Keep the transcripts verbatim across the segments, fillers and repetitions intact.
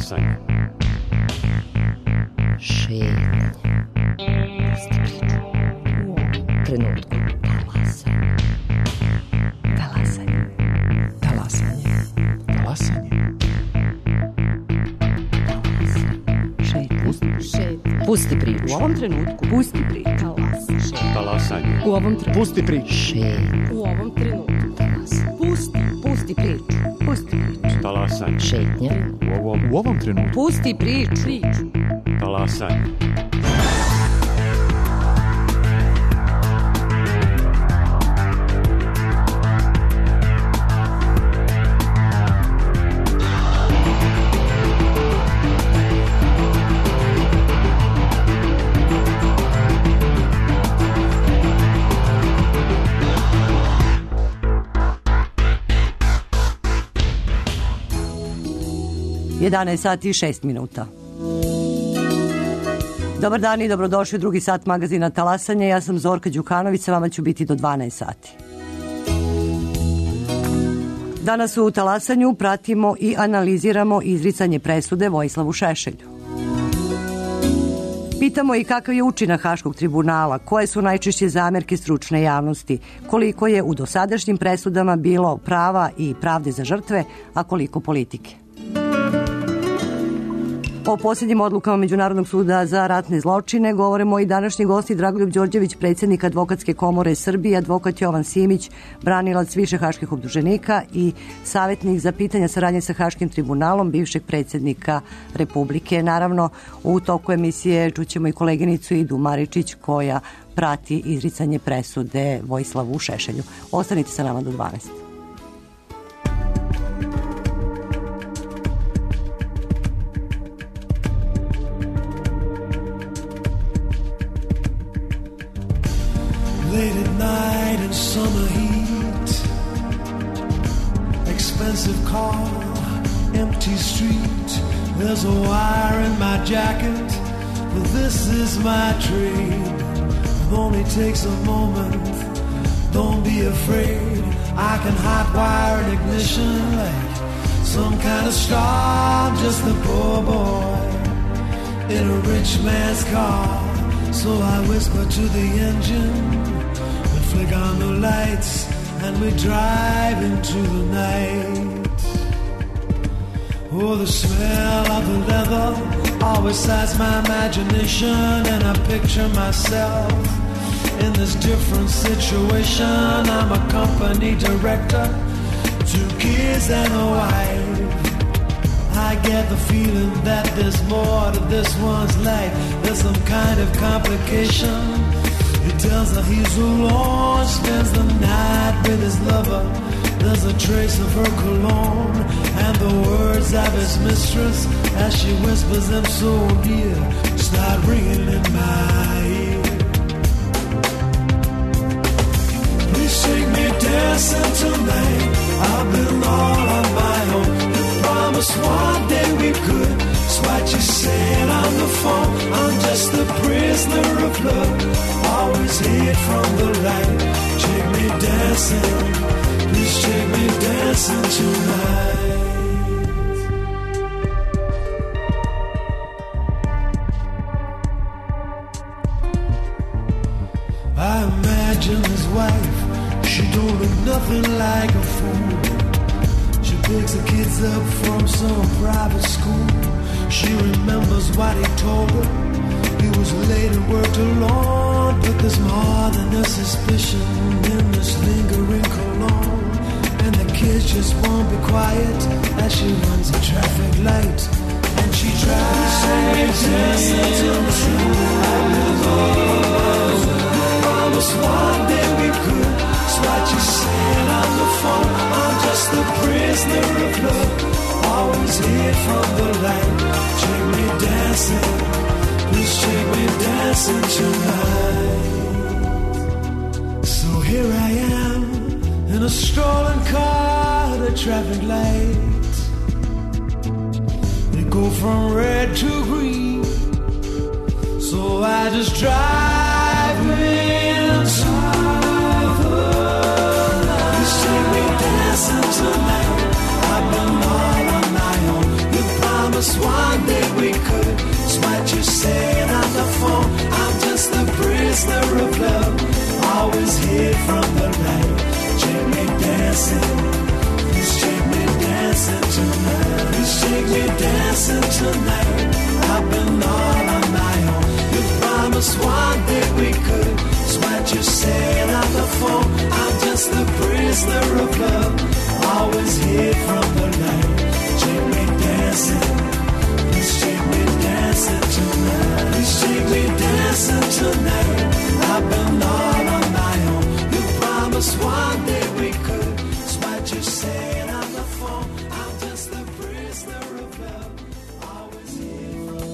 Talasanje. Šetnje. Pusti priču. U ovom trenutku. Talasanje. Talasanje. Talasanje. Talasanje. Šetnje. Pusti priču. U ovom trenutku. Pusti priču. Talasanje. U ovom trenutku. Pusti priču. Šetnje. U ovom trenutku. Talasanje. Pusti. Pusti priču. Pusti priču. Talasanje. Šetnje. U ovom, U ovom trenutku. Pusti priču. Priču. talasanje. jedanaest sati i šest minuta. Dobar dan i dobrodošli u drugi sat magazina Talasanje. Ja sam Zorka Đukanović, sa vama ću biti do dvanaest sati. Danas u Talasanju pratimo i analiziramo izricanje presude Vojislavu Šešelju. Pitamo i kakav je učinak Haškog tribunala, koje su najčešće zamerke stručne javnosti, koliko je u dosadašnjim presudama bilo prava i pravde za žrtve, a koliko politike. O posljednjim odlukama Međunarodnog suda za ratne zločine govorimo i današnji gosti Dragoljub Đorđević, predsjednik Advokatske komore Srbije, advokat Jovan Simić, branilac više haških optuženika i savjetnik za pitanja saradnje sa Haškim tribunalom, bivšeg predsjednika Republike. Naravno, u toku emisije čućemo i koleginicu Idu Maričić koja prati izricanje presude Vojislavu Šešelju. Ostanite sa nama do dvanaest. Late at night in summer heat, expensive car, empty street. There's a wire in my jacket, but this is my trade. It only takes a moment, don't be afraid. I can hot wire an ignition like some kind of star. I'm just a poor boy in a rich man's car. So I whisper to the engine, flick on the lights, and we drive into the night. Oh, the smell of the leather always excites my imagination, and I picture myself in this different situation. I'm a company director, two kids and a wife. I get the feeling that there's more to this one's life. There's some kind of complication. He tells her he's alone, spends the night with his lover. There's a trace of her cologne and the words of his mistress as she whispers them so near, start ringing in my ear. Please take me dancing tonight. I've been all on my own. You promised one day we could. It's what you said on the phone. I'm just a prisoner of love. Always hid from the light. Take me dancing. Please take me dancing tonight. I imagine his wife. She don't look nothing like a fool. She picks the kids up from some private school. She remembers what he told her. He was late and worked alone, but there's more than a suspicion in this lingering cologne. And the kids just won't be quiet as she runs a traffic light. And she tries to dancing till the truth. Promise one day we could. It's what you said on the phone. I'm just a prisoner of love. Always hid from the light. Take me dancing. Please take me dancing tonight. So here I am in a stolen car at a traffic light. They go from red to green, so I just drive inside the night. Please take me dancing tonight. I've been all on my own. You promised one hid from the light. Take me dancing, please take me dancing tonight. Please take me dancing tonight. I've been all on my own. You promised one day we could. It's what you said on the phone. I'm just a prisoner of love, always hid from the light. Take me dancing, please take me dancing tonight. Please take me dancing tonight. I've been all on my own. You promised one day we could. It's what you said on the phone. I'm just a prisoner of love, always hid from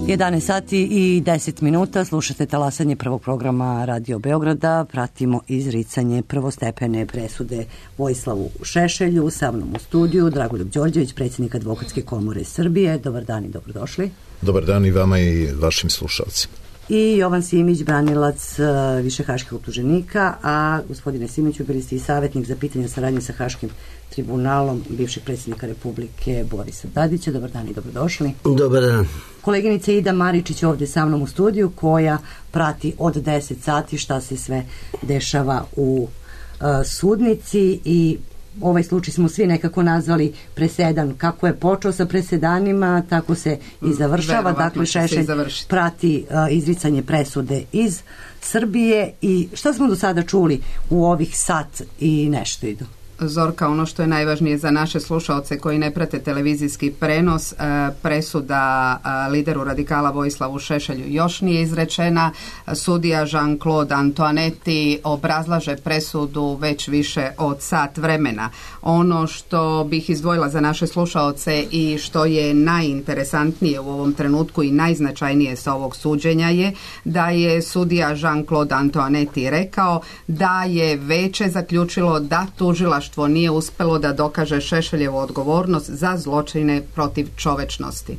jedanaest sati i deset minuta, slušate talasanje prvog programa Radio Beograda, pratimo izricanje prvostepene presude Vojislavu Šešelju, sa mnom u studiju Dragoljub Đorđević, predsjednik Advokatske komore Srbije. Dobar dan i dobrodošli. Dobar dan i vama i vašim slušalcima. I Jovan Simić, branilac više haških optuženika, a gospodine Simiću, bili ste i savjetnik za pitanje saradnje sa Haškim tribunalom bivšeg predsjednika Republike Borisa Tadića. Dobar dan i dobrodošli. Dobar dan. Koleginica Ida Maričić ovdje sa mnom u studiju, koja prati od deset sati šta se sve dešava u uh, sudnici, i ovaj slučaj smo svi nekako nazvali presedan. Kako je počeo sa presedanima, tako se i završava. Verovatno dakle, Šešelj prati uh, izricanje presude iz Srbije. I šta smo do sada čuli u ovih sat i nešto, Ido? Zorka, ono što je najvažnije za naše slušaoce koji ne prate televizijski prenos, presuda lideru radikala Vojislavu Šešelju još nije izrečena. Sudija Jean-Claude Antoinetti obrazlaže presudu već više od sat vremena. Ono što bih izdvojila za naše slušaoce i što je najinteresantnije u ovom trenutku i najznačajnije sa ovog suđenja je da je sudija Jean-Claude Antoinetti rekao da je veće zaključilo da tužilaštvo nije uspelo da dokaže Šešeljevu odgovornost za zločine protiv čovečnosti.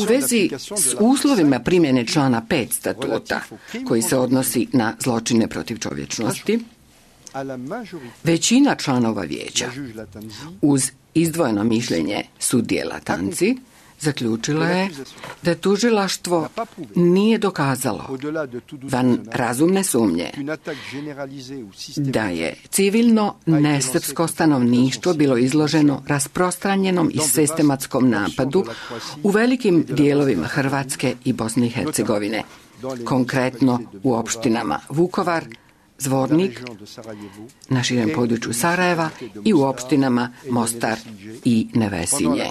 U vezi s uslovima primjene člana pet statuta, koji se odnosi na zločine protiv čovječnosti, većina članova vijeća, uz izdvojeno mišljenje sudije Latanzi, zaključila je da tužilaštvo nije dokazalo van razumne sumnje da je civilno nesrpsko stanovništvo bilo izloženo rasprostranjenom i sistematskom napadu u velikim dijelovima Hrvatske i Bosne i Hercegovine, konkretno u opštinama Vukovar, Zvornik, na širem području Sarajeva i u opštinama Mostar i Nevesinje,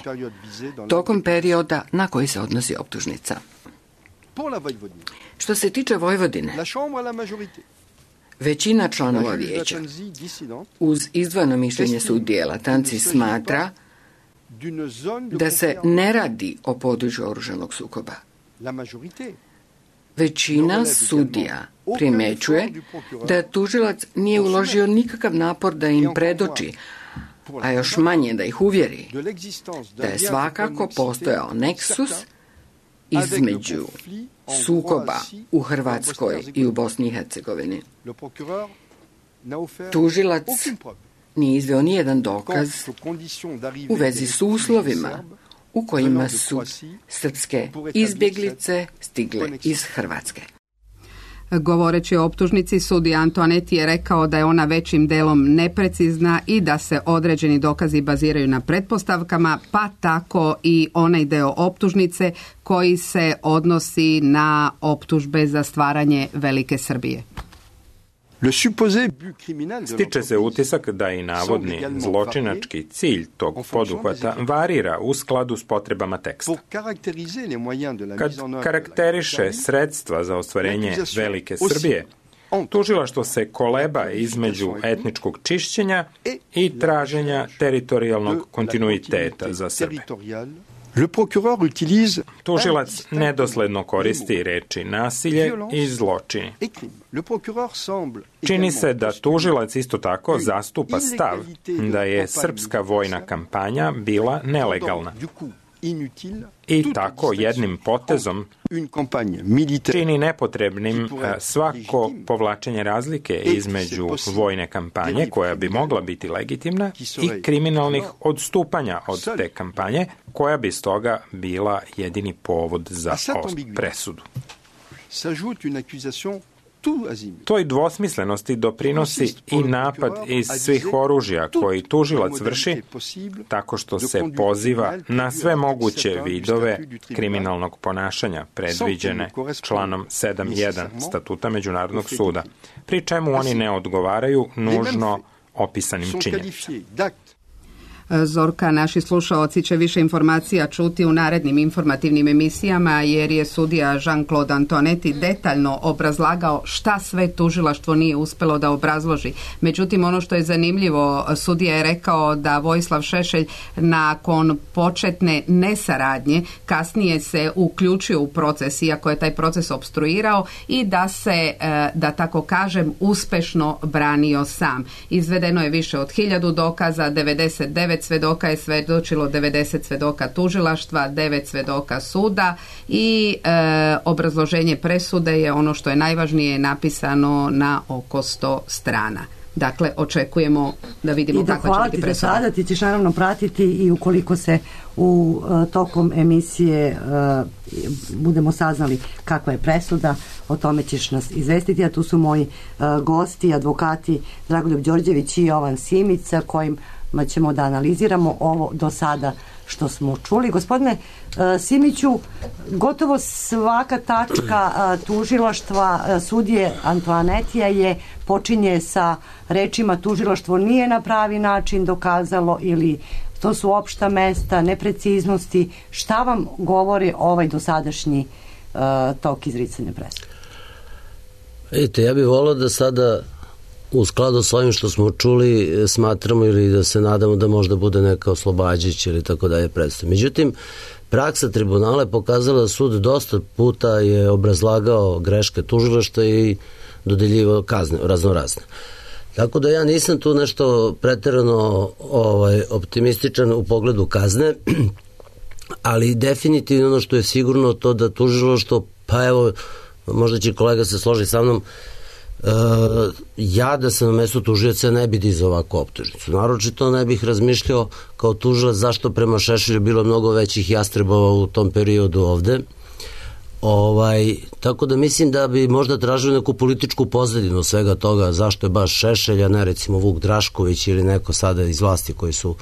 tokom perioda na koji se odnosi optužnica. Što se tiče Vojvodine, većina članova vijeća, uz izdvojeno mišljenje sudije Latanzi, smatra da se ne radi o području oružanog sukoba. Većina sudija primećuje da tužilac nije uložio nikakav napor da im predoči, a još manje da ih uvjeri, da je svakako postojao neksus između sukoba u Hrvatskoj i u Bosni i Hercegovini. Tužilac nije izveo nijedan dokaz u vezi s uslovima u kojima su srpske izbjeglice stigle iz Hrvatske. Govoreći o optužnici, sudija Antoinetti je rekao da je ona većim delom neprecizna i da se određeni dokazi baziraju na pretpostavkama, pa tako i onaj deo optužnice koji se odnosi na optužbe za stvaranje Velike Srbije. Stiče se utisak da i navodni zločinački cilj tog poduhvata varira u skladu s potrebama teksta. Kad karakteriše sredstva za ostvarenje Velike Srbije, tužilaštvo se koleba između etničkog čišćenja i traženja teritorijalnog kontinuiteta za Srbe. Tužilac nedosledno koristi reči nasilje i zločini. Čini se da tužilac isto tako zastupa stav da je srpska vojna kampanja bila nelegalna i tako jednim potezom čini nepotrebnim svako povlačenje razlike između vojne kampanje, koja bi mogla biti legitimna, i kriminalnih odstupanja od te kampanje, koja bi stoga bila jedini povod za presudu. Toj dvosmislenosti doprinosi i napad iz svih oružja koji tužilac vrši tako što se poziva na sve moguće vidove kriminalnog ponašanja predviđene članom sedam jedan Statuta Međunarodnog suda, pri čemu oni ne odgovaraju nužno opisanim činjenicama. Zorka, naši slušaoci će više informacija čuti u narednim informativnim emisijama, jer je sudija Jean-Claude Antoinetti detaljno obrazlagao šta sve tužilaštvo nije uspelo da obrazloži. Međutim, ono što je zanimljivo, sudija je rekao da Vojislav Šešelj nakon početne nesaradnje kasnije se uključio u proces, iako je taj proces opstruirao, i da se, da tako kažem, uspešno branio sam. Izvedeno je više od hiljadu dokaza, devedeset devet svedoka je svedočilo, devedeset svedoka tužilaštva, devet svedoka suda i e, obrazloženje presude je ono što je najvažnije, napisano na oko sto strana. Dakle, očekujemo da vidimo kakva će biti presuda. I da hvala ti za sada, ti ćeš naravno pratiti i ukoliko se u uh, tokom emisije uh, budemo saznali kakva je presuda, o tome ćeš nas izvestiti, a tu su moji uh, gosti, advokati Dragoljub Đorđević i Jovan Simić, sa kojim ćemo da analiziramo ovo do sada što smo čuli. Gospodine uh, Simiću, gotovo svaka tačka uh, tužilaštva uh, sudije Antoinettija je počinje sa rečima tužilaštvo nije na pravi način dokazalo, ili to su opšta mesta, nepreciznosti. Šta vam govori ovaj dosadašnji uh, tok izricanja presude? Vidite, ja bih volao da sada u skladu s ovim što smo čuli smatramo ili da se nadamo da možda bude neka oslobađajuća ili tako dalje predstav. Međutim, praksa tribunala je pokazala da sud dosta puta je obrazlagao greške tužilaštva i dodeljivao kazne raznorazne. Tako da ja nisam tu nešto preterano ovaj, optimističan u pogledu kazne, ali definitivno ono što je sigurno to da tužilaštvo, pa evo, možda će kolega se složiti sa mnom, Uh, ja da sam na mestu tužioca ne bi dizao ovakvu optužnicu. Naročito ne bih razmišljao kao tužilac zašto prema Šešelju bilo mnogo većih jastrebova u tom periodu ovde. Ovaj, tako da mislim da bi možda tražili neku političku pozadinu svega toga, zašto je baš Šešelj, a ne recimo Vuk Drašković ili neko sada iz vlasti koji su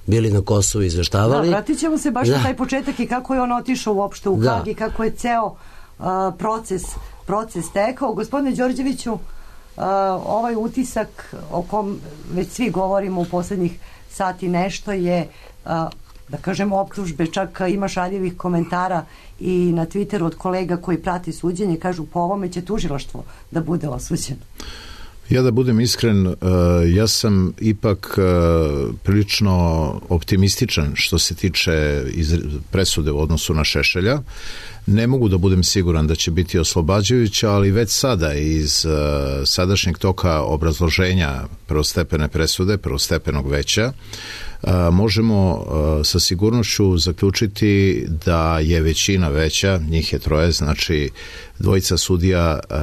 bili na Kosovu izveštavali. Da, vratit ćemo se baš da. na taj početak i kako je on otišao uopšte u da. Hag i kako je ceo uh, proces proces tekao. Gospodine Đorđeviću, uh, ovaj utisak o kom već svi govorimo u poslednjih sati nešto je, uh, da kažem, optužbe, čak ima šaljivih komentara i na Twitteru od kolega koji prati suđenje, kažu po ovome će tužilaštvo da bude osuđeno. Ja da budem iskren, uh, ja sam ipak uh, prilično optimističan što se tiče iz presude u odnosu na Šešelja. Ne mogu da budem siguran da će biti oslobađajuća, ali već sada iz uh, sadašnjeg toka obrazloženja prvostepene presude, prvostepenog veća, uh, možemo uh, sa sigurnošću zaključiti da je većina veća, njih je troje, znači dvojica sudija uh,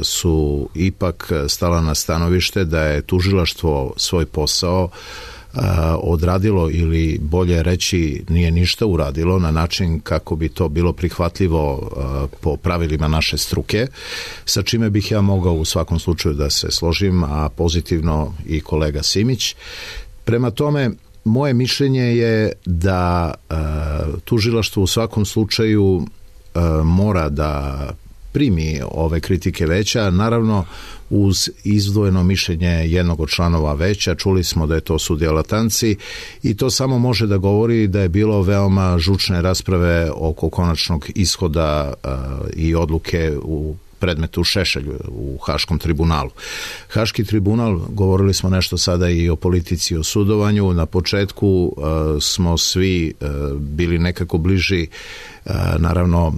su ipak stala na stanovište da je tužilaštvo svoj posao odradilo, ili bolje reći nije ništa uradilo na način kako bi to bilo prihvatljivo po pravilima naše struke, sa čime bih ja mogao u svakom slučaju da se složim, a pozitivno i kolega Simić. Prema tome, moje mišljenje je da tužilaštvo u svakom slučaju mora da primi ove kritike veća, naravno uz izdvojeno mišljenje jednog od članova veća. Čuli smo da je to sudija Latanci i to samo može da govori da je bilo veoma žučne rasprave oko konačnog ishoda uh, i odluke u predmetu Šešelju u Haškom tribunalu. Haški tribunal, govorili smo nešto sada i o politici, o sudovanju. Na početku uh, smo svi uh, bili nekako bliži, uh, naravno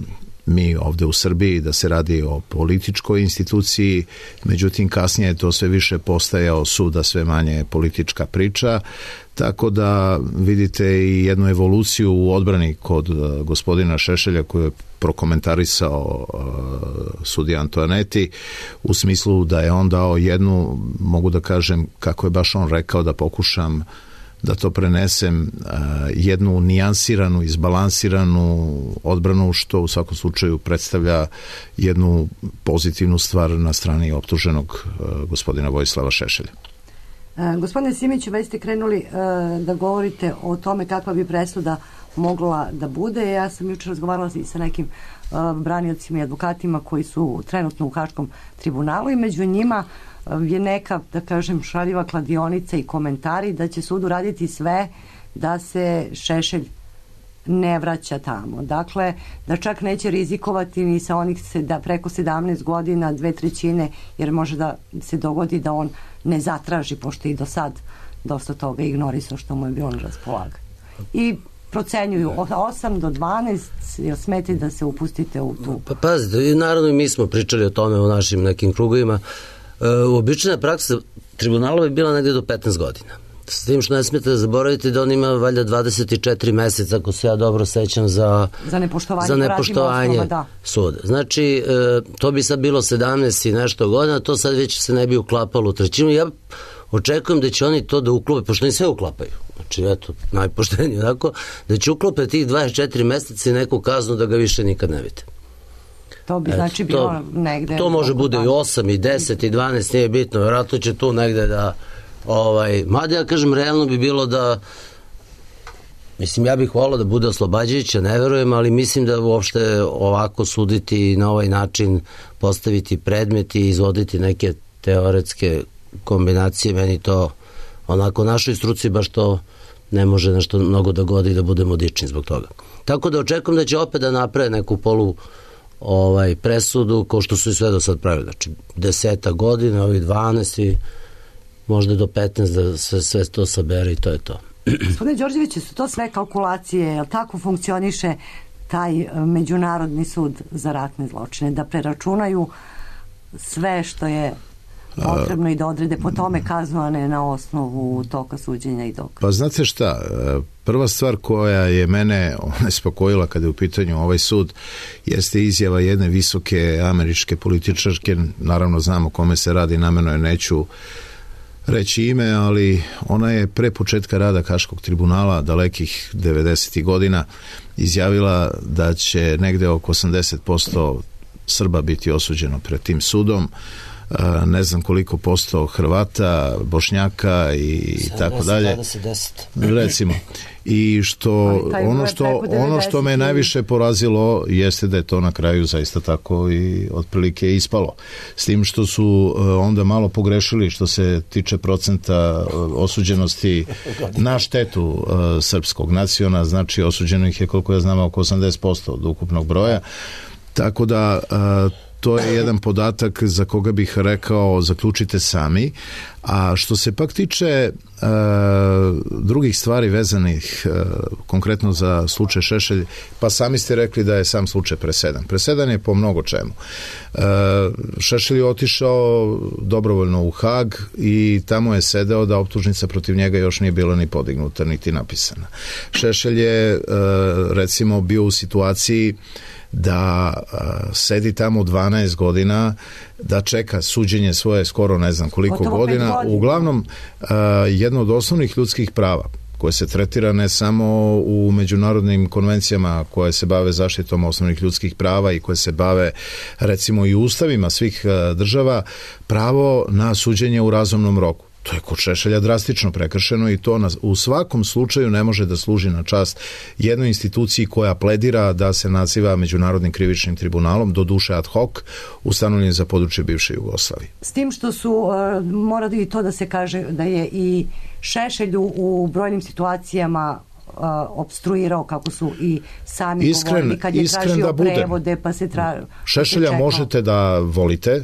mi ovde u Srbiji, da se radi o političkoj instituciji, međutim kasnije je to sve više postajao sud, a sve manje politička priča, tako da vidite i jednu evoluciju u odbrani kod uh, gospodina Šešelja koju je prokomentarisao uh, sudija Antoinetti, u smislu da je on dao jednu, mogu da kažem, kako je baš on rekao, da pokušam da to prenesem, jednu nijansiranu, izbalansiranu odbranu, što u svakom slučaju predstavlja jednu pozitivnu stvar na strani optuženog gospodina Vojislava Šešelja. E, gospodine Simiću, već ste krenuli e, da govorite o tome kakva bi presuda mogla da bude. Ja sam jučer razgovarala i sa nekim e, braniocima i advokatima koji su trenutno u Haškom tribunalu i među njima je neka, da kažem, šaljiva kladionica i komentari da će sud uraditi sve da se Šešelj ne vraća tamo. Dakle, da čak neće rizikovati ni sa onih da preko sedamnaest godina, dve trećine, jer može da se dogodi da on ne zatraži, pošto i do sad dosta toga ignorisao što mu je bilo na raspolaganju. I procenjuju osam do dvanaest, jel smete da se upustite u tu? Pa pazite, naravno i mi smo pričali o tome u našim nekim krugovima. E, uobičajena praksa tribunala je bila negde do petnaest godina. S tim što ne smijete da zaboravite da on ima valjda dvadeset četiri meseca, ako se ja dobro sećam, za, za nepoštovanje, za nepoštovanje osnova, da. suda. Znači, e, to bi sad bilo sedamnaest i nešto godina, to sad već se ne bi uklapalo u trećinu. Ja očekujem da će oni to da uklope, pošto oni sve uklapaju. Znači, eto, najpoštenije, tako, da će uklope tih dvadeset četiri meseca i neku kaznu da ga više nikad ne vidite. To bi znači eto, bilo to, negde... To može bude i osam, i deset, i dvanaest, nije bitno. Vjerojatno će tu negde da... Ovaj, mada ja kažem, realno bi bilo da... Mislim, ja bih volao da bude oslobađajuća, ne verujem, ali mislim da uopšte ovako suditi na ovaj način, postaviti predmet i izvoditi neke teoretske kombinacije, meni to onako našoj struci baš to ne može nešto mnogo da godi da budemo dični zbog toga. Tako da očekujem da će opet da naprave neku polu ovaj, presudu, kao što su i sve do sad pravili. Znači, deseta godina, ovih dvanaest i možda do petnaest da se sve to sabere i to je to. Gospodine Đorđeviću, su to sve kalkulacije, jel tako funkcioniše taj Međunarodni sud za ratne zločine, da preračunaju sve što je potrebno i da odrede po tome kaznu, a ne na osnovu toka suđenja i dokaza? Pa znate šta, prva stvar koja je mene nespokojila kada je u pitanju ovaj sud jeste izjava jedne visoke američke političarke, naravno znam o kome se radi, namerno je neću reći ime, ali ona je pre početka rada Haškog tribunala dalekih devedesetih godina izjavila da će negde oko osamdeset posto Srba biti osuđeno pred tim sudom, ne znam koliko posto Hrvata, Bošnjaka i tako dalje. Recimo. I što ono što ono što me najviše porazilo jeste da je to na kraju zaista tako i otprilike ispalo. S tim što su onda malo pogrešili što se tiče procenta osuđenosti na štetu srpskog naciona, znači osuđeno ih je, koliko ja znam, oko osamdeset posto od ukupnog broja. Tako da to je jedan podatak za koga bih rekao zaključite sami. A što se pak tiče e, drugih stvari vezanih e, konkretno za slučaj Šešelj, pa sami ste rekli da je sam slučaj presedan. Presedan je po mnogo čemu. E, Šešelj je otišao dobrovoljno u Hag i tamo je sedeo da optužnica protiv njega još nije bila ni podignuta, niti napisana. Šešelj je e, recimo bio u situaciji da uh, sedi tamo dvanaest godina, da čeka suđenje svoje skoro ne znam koliko godina. godina. Uglavnom, uh, jedno od osnovnih ljudskih prava koje se tretira ne samo u međunarodnim konvencijama koje se bave zaštitom osnovnih ljudskih prava i koje se bave recimo i ustavima svih uh, država, pravo na suđenje u razumnom roku. To je kod Šešelja drastično prekršeno i to na, u svakom slučaju ne može da služi na čast jednoj instituciji koja pledira da se naziva Međunarodnim krivičnim tribunalom, do duše ad hoc, ustanovljen za područje bivše Jugoslavije. S tim što su, uh, mora i to da se kaže da je i Šešelj u brojnim situacijama Uh, obstruirao, kako su i sami iskren, govorili kad je tražio da prevode, pa se tra... Šešelja pa možete da volite,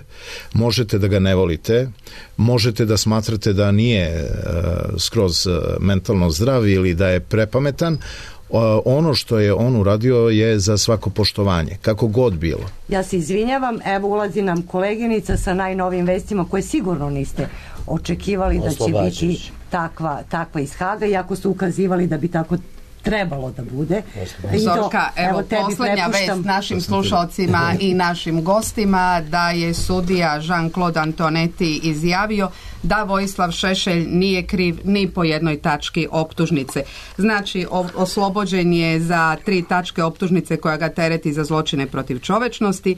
možete da ga ne volite, možete da smatrate da nije uh, skroz uh, mentalno zdrav ili da je prepametan. Uh, ono što je on uradio je za svako poštovanje, kako god bilo. Ja se izvinjavam, evo ulazi nam koleginica sa najnovijim vestima koje sigurno niste očekivali da će biti takva, takva iz Haga, iako su ukazivali da bi tako trebalo da bude. Zorka, evo, evo poslednja vest našim slušalcima i našim gostima da je sudija Jean-Claude Antonetti izjavio da Vojislav Šešelj nije kriv ni po jednoj tački optužnice. Znači, oslobođen je za tri tačke optužnice koja ga tereti za zločine protiv čovečnosti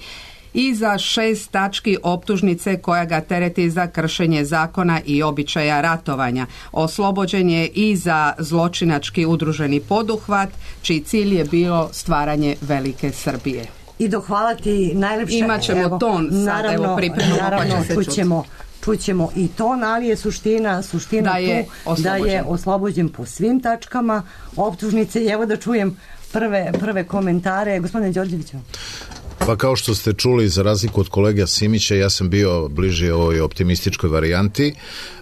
i za šest tački optužnice koja ga tereti za kršenje zakona i običaja ratovanja. Oslobođen je i za zločinački udruženi poduhvat, čiji cilj je bilo stvaranje velike Srbije. I hvala ti najlepše. Imaćemo evo, ton sad, naravno, evo pripremamo naravno, pa će se čućemo, čućemo i ton, ali je suština, suština da je tu oslobođen. da je oslobođen po svim tačkama optužnice i evo da čujem prve, prve komentare. Gospodine Đorđeviću. Pa kao što ste čuli, za razliku od kolega Simića, ja sam bio bliži ovoj optimističkoj varijanti.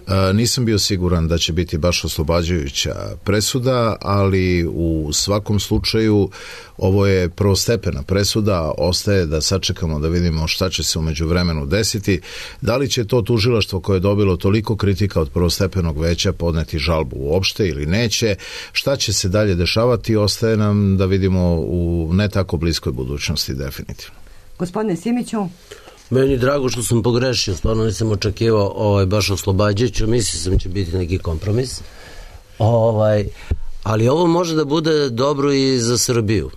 E, nisam bio siguran da će biti baš oslobađajuća presuda, ali u svakom slučaju ovo je prvostepena presuda, ostaje da sačekamo da vidimo šta će se u međuvremenu desiti. Da li će to tužilaštvo koje je dobilo toliko kritika od prvostepenog veća podneti žalbu uopšte ili neće, šta će se dalje dešavati, ostaje nam da vidimo u ne tako bliskoj budućnosti definitivno. Gospodine Simiću. Meni drago što sam pogrešio, stvarno nisam očekivao ovaj, baš oslobađajuću, mislio sam će biti neki kompromis. Ovaj, ali ovo može da bude dobro i za Srbiju.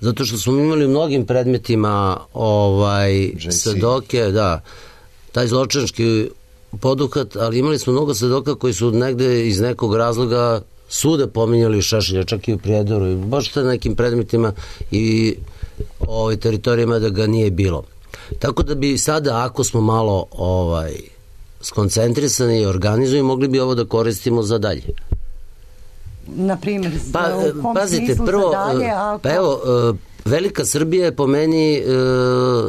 Zato što smo imali u mnogim predmetima ovaj, svedoke, da, taj zločinački poduhvat, ali imali smo mnogo svedoka koji su negde iz nekog razloga sude pominjali Šešelja, čak i u Prijedoru, i baš te nekim predmetima i ovaj, teritorijama da ga nije bilo. Tako da bi sada, ako smo malo ovaj, skoncentrisani i organizujemo, mogli bi ovo da koristimo za dalje. Na primjer, pa, u kom pazite, smislu prvo, za dalje? Ako... Pa evo, Velika Srbija je po meni e,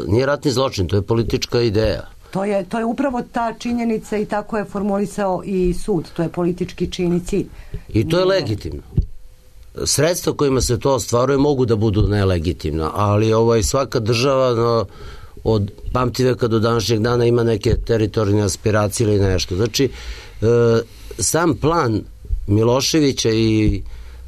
nije ratni zločin, to je politička ideja. To je, to je upravo ta činjenica i tako je formulisao i sud, to je politički čin i cilj. I to je legitimno. Sredstva kojima se to ostvaruje mogu da budu nelegitimna, ali ovaj, svaka država no, od pamtiveka do današnjeg dana ima neke teritorijalne aspiracije ili nešto. Znači, e, sam plan Miloševića i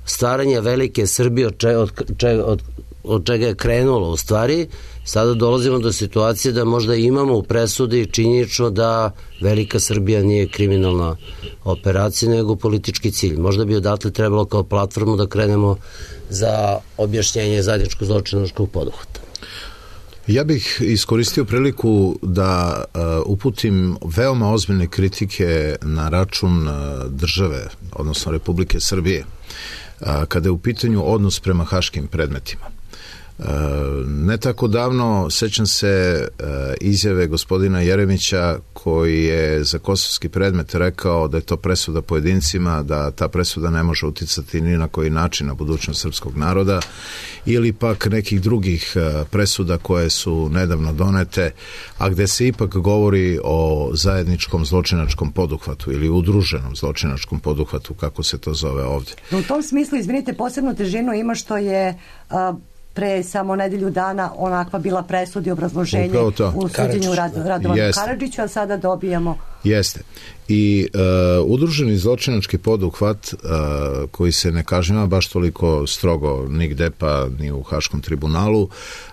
stvaranja velike Srbije od, če, od, če, od, od čega je krenulo u stvari, sada dolazimo do situacije da možda imamo u presudi činjenično da velika Srbija nije kriminalna operacija, nego politički cilj. Možda bi odatle trebalo kao platformu da krenemo za objašnjenje zajedničkog zločinačkog poduhvata. Ja bih iskoristio priliku da uh, uputim veoma ozbiljne kritike na račun uh, države, odnosno Republike Srbije, uh, kada je u pitanju odnos prema haškim predmetima. Uh, ne tako davno sećam se uh, izjave gospodina Jeremića koji je za kosovski predmet rekao da je to presuda pojedincima, da ta presuda ne može uticati ni na koji način na budućnost srpskog naroda, ili pak nekih drugih uh, presuda koje su nedavno donete, a gde se ipak govori o zajedničkom zločinačkom poduhvatu ili udruženom zločinačkom poduhvatu, kako se to zove ovdje. U tom smislu, izvinite, posebnu težinu ima što je uh, pre samo nedelju dana onakva bila presudi obrazloženje u suđenju Rad, Radovanu Karadžiću, a sada dobijamo... Jeste. I uh, udruženi zločinački poduhvat uh, koji se ne kažnjava baš toliko strogo nigde pa ni u Haškom tribunalu,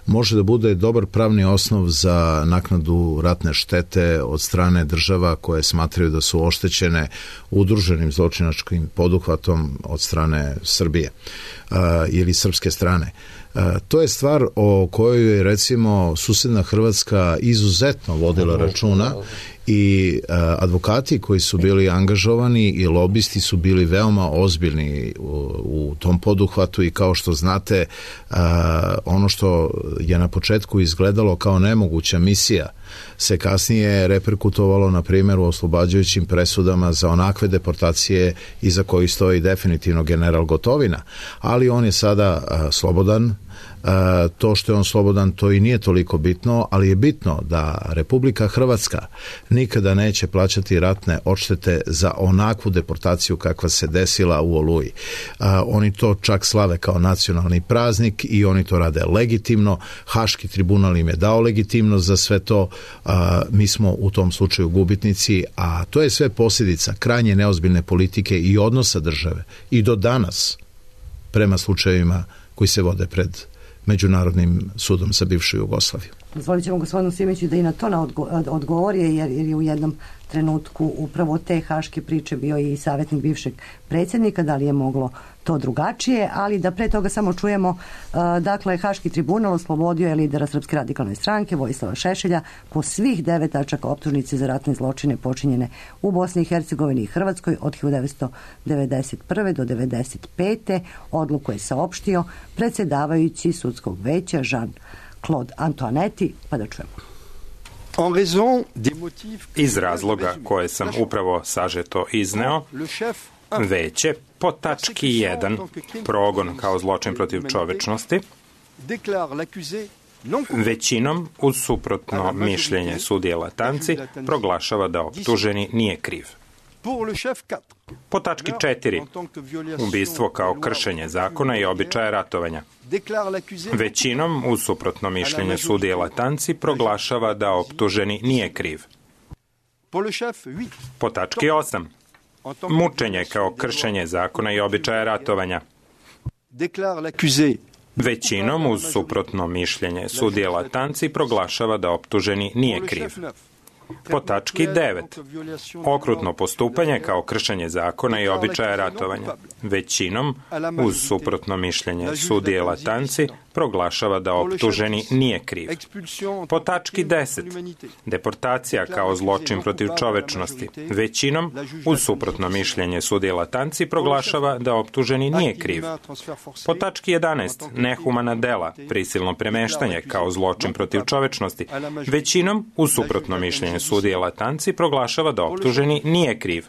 može da bude dobar pravni osnov za naknadu ratne štete od strane država koje smatraju da su oštećene udruženim zločinačkim poduhvatom od strane Srbije uh, ili srpske strane. Uh, to je stvar o kojoj je recimo susedna Hrvatska izuzetno vodila računa i uh, advokati koji su bili angažovani i lobisti su bili veoma ozbiljni u, u tom poduhvatu i kao što znate uh, ono što je na početku izgledalo kao nemoguća misija se kasnije reperkutovalo na primjer u oslobađajućim presudama za onakve deportacije iza kojih stoji definitivno general Gotovina, ali on je sada uh, slobodan. Uh, to što je on slobodan, to i nije toliko bitno, ali je bitno da Republika Hrvatska nikada neće plaćati ratne odštete za onakvu deportaciju kakva se desila u Oluji. Uh, oni to čak slave kao nacionalni praznik i oni to rade legitimno. Haški tribunal im je dao legitimnost za sve to. Uh, mi smo u tom slučaju gubitnici, a to je sve posljedica krajnje neozbiljne politike i odnosa države i do danas prema slučajevima koji se vode pred Međunarodnim sudom za bivšu Jugoslaviju. Dozvolit ćemo gospodinu Simiću da i na to odgovori, jer, jer je u jednom trenutku upravo te haške priče bio i savjetnik bivšeg predsjednika, da li je moglo to drugačije, ali da pre toga samo čujemo, uh, dakle, Haški tribunal oslobodio je lidera Srpske radikalne stranke Vojislava Šešelja po svih devet tačaka optužnice za ratne zločine počinjene u Bosni i Hercegovini i Hrvatskoj od hiljadu devetsto devedeset prve do devedeset pete Odluku je saopštio predsjedavajući sudskog veća Jean-Claude Antoinetti, pa da čujemo. Iz razloga koje sam upravo sažeto izneo, veće po tački jedan progon kao zločin protiv čovečnosti većinom uz suprotno mišljenje sudije Latanci proglašava da optuženi nije kriv. Po tački četiri ubistvo kao kršenje zakona i običaja ratovanja većinom uz suprotno mišljenje sudije Latanci proglašava da optuženi nije kriv. Po tački osam mučenje kao kršenje zakona i običaja ratovanja većinom uz suprotno mišljenje sudije Latanci proglašava da optuženi nije kriv. Po tački devet okrutno postupanje kao kršenje zakona i običaja ratovanja većinom uz suprotno mišljenje sudije Latanci proglašava da optuženi nije kriv. Po tački deset deportacija kao zločin protiv čovečnosti većinom uz suprotno mišljenje sudije Latanci proglašava da optuženi nije kriv. Po tački jedanaest nehumana dela prisilno premeštanje kao zločin protiv čovečnosti većinom uz suprotno mišljenje sudije Latanci proglašava da optuženi nije kriv.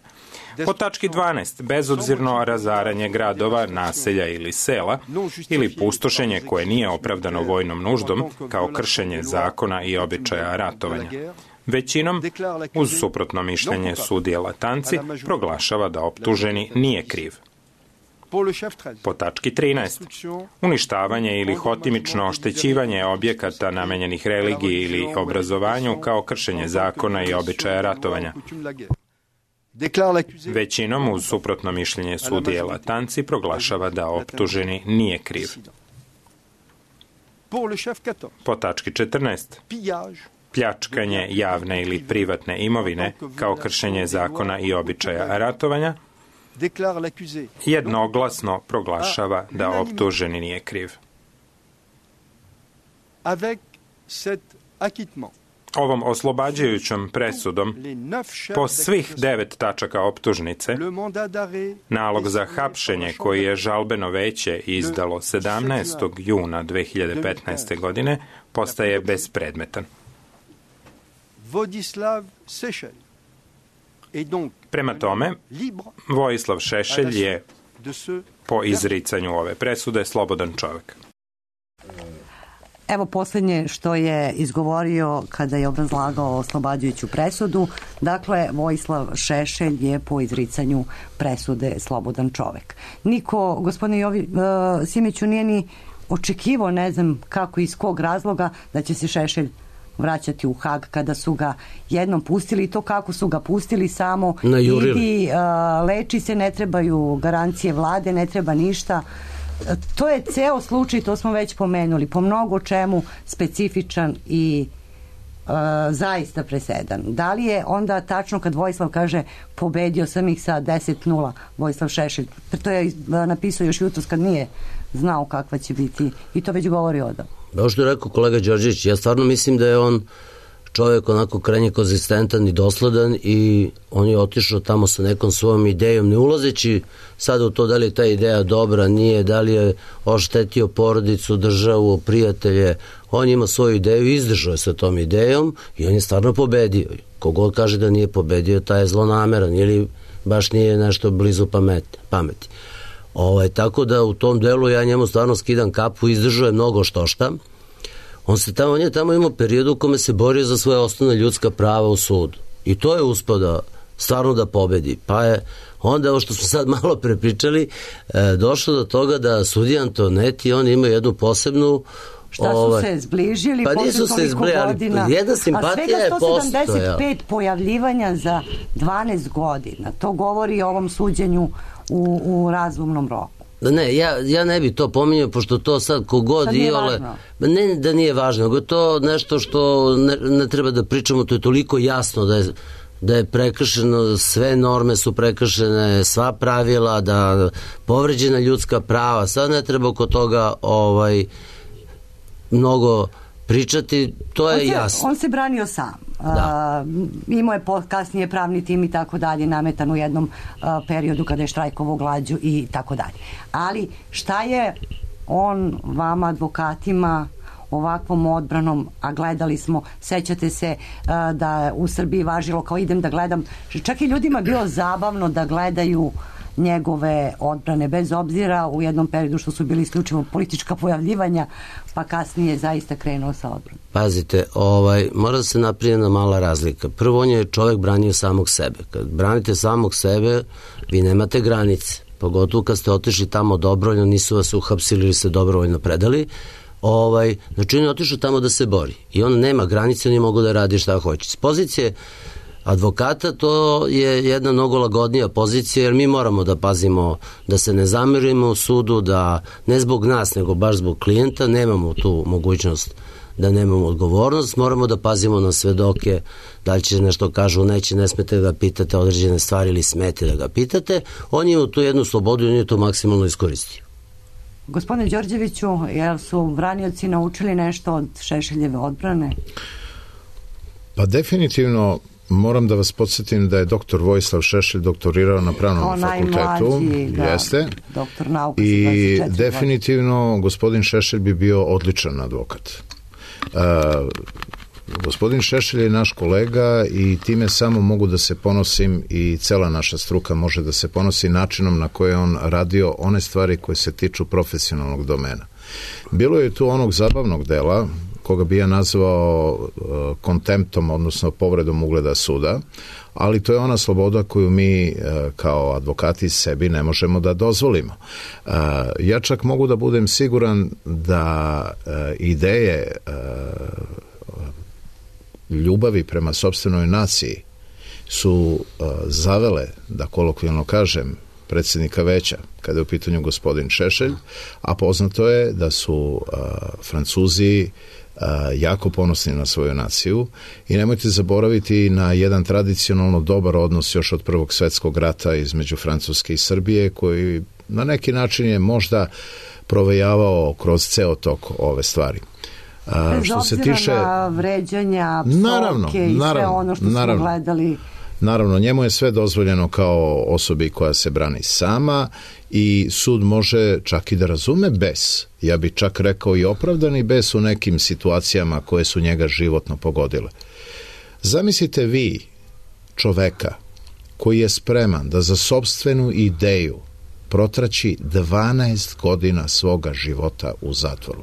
Po tački dvanaest bezobzirno razaranje gradova, naselja ili sela ili pustošenje koje nije opravdano vojnom nuždom kao kršenje zakona i običaja ratovanja većinom uz suprotno mišljenje sudije Latanci proglašava da optuženi nije kriv. Po tački trinaest uništavanje ili hotimično oštećivanje objekata namenjenih religiji ili obrazovanju kao kršenje zakona i običaja ratovanja većinom uz suprotno mišljenje sudije Latanci proglašava da optuženi nije kriv. Po tački četrnaest pljačkanje javne ili privatne imovine kao kršenje zakona i običaja ratovanja jednoglasno proglašava da optuženi nije kriv. Ovom oslobađajućom presudom po svih devet tačaka optužnice nalog za hapšenje koji je žalbeno veće izdalo sedamnaestog juna dve hiljade petnaeste. godine postaje bespredmetan. Prema tome, Vojislav Šešelj je po izricanju ove presude slobodan čovjek. Evo posljednje što je izgovorio kada je obrazlagao oslobađajuću presudu. Dakle, Vojislav Šešelj je po izricanju presude slobodan čovjek. Niko, gospodine Jovi, uh, Simiću, nije ni očekivao, ne znam kako i iz kog razloga, da će se Šešelj vraćati u Hag kada su ga jednom pustili, i to kako su ga pustili, samo idi, uh, leči se, ne trebaju garancije vlade, ne treba ništa. To je ceo slučaj, to smo već pomenuli, po mnogo čemu specifičan i uh, zaista presedan. Da li je onda tačno kad Vojislav kaže pobedio sam ih sa deset nula, Vojislav Šešelj, to je uh, napisao još jutros kad nije znao kakva će biti, i to već govori odam. Kao što je rekao kolega Đorđević, ja stvarno mislim da je on čovjek onako krajnje konzistentan i dosledan, i on je otišao tamo sa nekom svojom idejom, ne ulazeći sad u to da li je ta ideja dobra, nije, da li je oštetio porodicu, državu, prijatelje. On ima svoju ideju i izdržao je sa tom idejom i on je stvarno pobedio. Kogod kaže da nije pobedio, taj je zlonameran ili baš nije nešto blizu pameti. pameti. Ovaj, tako da u tom delu ja njemu stvarno skidam kapu, izdržao je mnogo što šta. On, se tamo, on je tamo imao period u kome se borio za svoje osnovne ljudska prava u sudu. I to je uspio da stvarno da pobedi. Pa je onda, ovo što smo sad malo prepričali, e, došlo do toga da sudija Antoinetti, on ima jednu posebnu... Šta su ovaj, se zbližili pa posle toliko godina? Jedna simpatija je posto. A svega sto sedamdeset pet pojavljivanja za dvanaest godina. To govori o ovom suđenju u, u razumnom roku. Ne, ja, ja ne bi to pominjao, pošto to sad kogod iole... Ne da nije važno, nego to nešto što ne, ne treba da pričamo, to je toliko jasno da je, da je prekršeno, sve norme su prekršene, sva pravila, da povređena ljudska prava, sad ne treba oko toga ovaj, mnogo pričati, to je on se, jasno. On se branio sam. Da. Uh, imao je kasnije pravni tim i tako dalje, nametan u jednom uh, periodu kada je štrajkovao glađu i tako dalje. Ali šta je on vama, advokatima, ovakvom odbranom, a gledali smo, sećate se uh, da u Srbiji važilo kao idem da gledam, čak i ljudima bilo zabavno da gledaju njegove odbrane, bez obzira u jednom periodu što su bili isključivo politička pojavljivanja, pa kasnije zaista krenuo sa odbranom. Pazite, ovaj, mora da se napravi jedna mala razlika. Prvo, on je čovjek branio samog sebe. Kad branite samog sebe, vi nemate granice. Pogotovo kad ste otišli tamo dobrovoljno, nisu vas uhapsili ili ste dobrovoljno predali. Ovaj, znači, on je otišao tamo da se bori. I on nema granice, on je mogu da radi šta hoće. S pozicije advokata to je jedna mnogo lagodnija pozicija, jer mi moramo da pazimo da se ne zamerimo u sudu, da ne zbog nas, nego baš zbog klijenta, nemamo tu mogućnost da nemamo odgovornost, moramo da pazimo na svedoke, da li će nešto kažu, neće, ne smete da ga pitate određene stvari ili smete da ga pitate. On je u tu jednu slobodu i on je to maksimalno iskoristio. Gospodine Đorđeviću, jel su branioci naučili nešto od Šešeljeve odbrane? Pa definitivno moram da vas podsjetim da je doktor Vojislav Šešelj doktorirao na pravnom fakultetu. Da, jeste. Doktor nauka. I definitivno gospodin Šešelj bi bio odličan advokat. Uh, gospodin Šešelj je naš kolega i time samo mogu da se ponosim i cela naša struka može da se ponosi načinom na koje on radio one stvari koje se tiču profesionalnog domena. Bilo je tu onog zabavnog dela koga bi ja nazvao uh, kontemptom, odnosno povredom ugleda suda, ali to je ona sloboda koju mi uh, kao advokati sebi ne možemo da dozvolimo. Uh, ja čak mogu da budem siguran da uh, ideje uh, ljubavi prema sopstvenoj naciji su uh, zavele, da kolokvijalno kažem, predsjednika veća, kada je u pitanju gospodin Šešelj, a poznato je da su uh, Francuzi uh, jako ponosni na svoju naciju i nemojte zaboraviti na jedan tradicionalno dobar odnos još od Prvog svetskog rata između Francuske i Srbije, koji na neki način je možda provejavao kroz ceo tok ove stvari. A, Bez što se tiče na vređanja, psovke naravno, i naravno, sve ono što naravno, smo gledali. Naravno, njemu je sve dozvoljeno kao osobi koja se brani sama i sud može čak i da razume bes. Ja bih čak rekao i opravdani bes u nekim situacijama koje su njega životno pogodile. Zamislite vi čoveka koji je spreman da za sopstvenu ideju protraći dvanaest godina svoga života u zatvoru.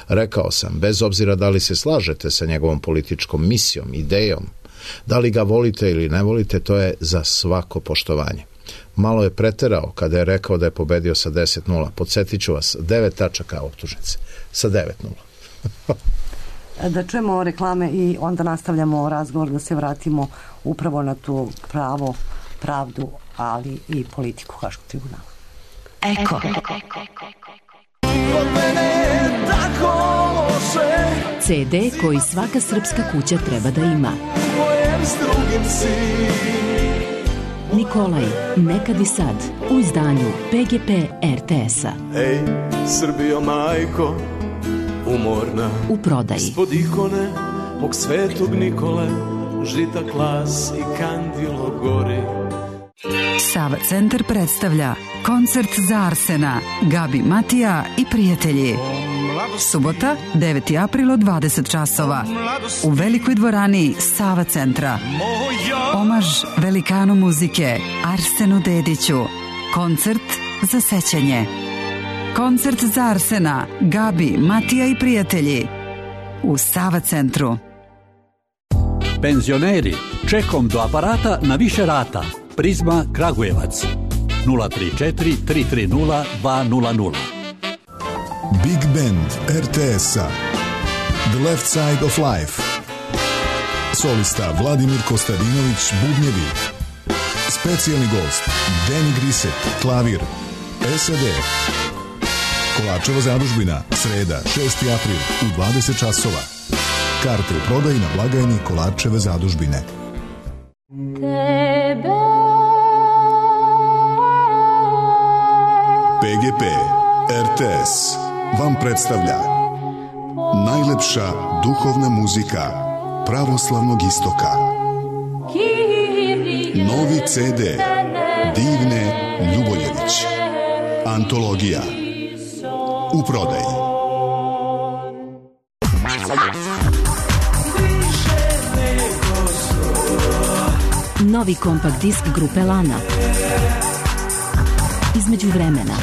Rekao sam, bez obzira da li se slažete sa njegovom političkom misijom, idejom, da li ga volite ili ne volite, to je za svako poštovanje. Malo je preterao kada je rekao da je pobedio sa deset nula. Podsjetit ću vas, devet tačaka optužnice sa devet nula. Da čujemo reklame i onda nastavljamo razgovor, da se vratimo upravo na tu pravo, pravdu, ali i politiku Haškog tribunala. Eko. ce de koji svaka srpska kuća treba da ima. Nikolaj, nekad i sad, u izdanju pe ge pe er te es-a. Ej, Srbijo majko, umorna. U prodaji. Ispod ikone, mog svetog Nikole, žita klas i kandilo gori. Sava centar predstavlja koncert za Arsena, Gabi Matija i prijatelji. Subota, deveti april od dvadeset časova. U velikoj dvorani Sava centra. Omaž velikanu muzike Arsenu Dediću. Koncert za sećanje. Koncert za Arsena, Gabi, Matija i prijatelji. U Sava centru. Penzioneri, čekom do aparata na više rata. Prizma Kragujevac. nula tri četiri tri tri nula dva nula nula. Big Band er te es-a. The Left Side of Life. Solista Vladimir Kostadinović, bubnjevi. Specijalni gost Danny Grisset, klavir. es a de, Kolarčeva zadužbina, sreda, šesti april u dvadeset časova. Karte u prodaji na blagajni Kolarčeve zadužbine. P G P R T S vam predstavlja najlepša duhovna muzika pravoslavnog istoka. Novi C D Divne Ljuboljević. Antologija. U prodaji. Novi kompakt disk grupe Lana. Između vremena.